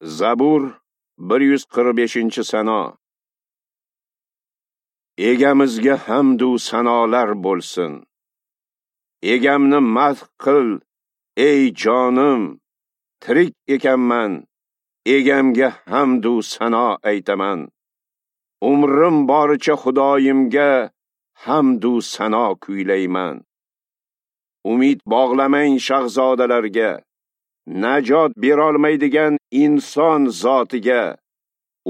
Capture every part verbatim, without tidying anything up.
Zabur bir yuz qirq beshinchi sano. Egamizga hamd u sanolar bo'lsin. Egamni madh qil, ey jonim, tirik ekanman, egamga hamd u sano aytaman. Umrim boricha Xudoyimga hamd u sano kuylayman. Umid bog'lamang shahzodalarga, najot berolmaydigan inson zotiga.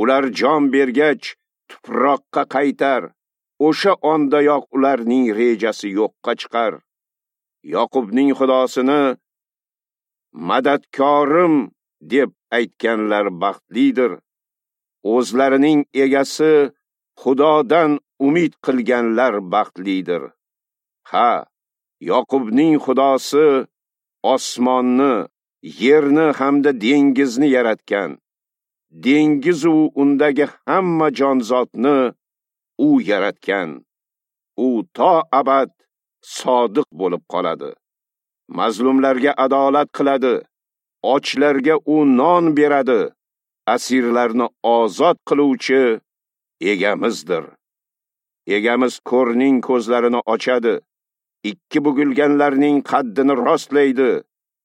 Ular jon bergach tuproqqa qaytar, o'sha ondayoq ularning rejasi yo'qqa chiqar. Yoqubning Xudosini madadkorim deb aytganlar baxtlidir. O'zlarining egasi Xudodan umid qilganlar baxtlidir. Ha, Yoqubning Xudosi osmonni, yerni hamda dengizni yaratgan. Dengiz u undagi hamma jonzotni u yaratgan. U to abad sodiq bo'lib qoladi. Mazlumlarga adolat qiladi, ochlarga u non beradi, asirlarni ozod qiluvchi egamizdir. Egamiz ko'rning ko'zlarini ochadi, ikki bugilganlarning qaddini rostlaydi.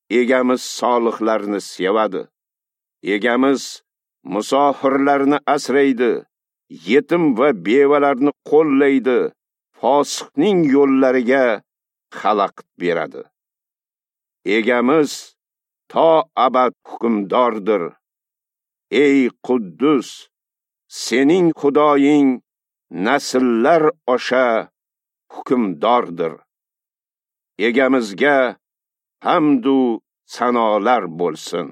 Egamiz solihlarni sevadi. Egamiz musofirlarni asraydi, yetim va bevalarni qo'llaydi, fosiqning yo'llariga xalaqit beradi. Egamiz to abad hukmdordir. Ey Quddus, sening Xudoying nasllar osha hukmdordir. Egamizga hamd u sanolar bo'lsin.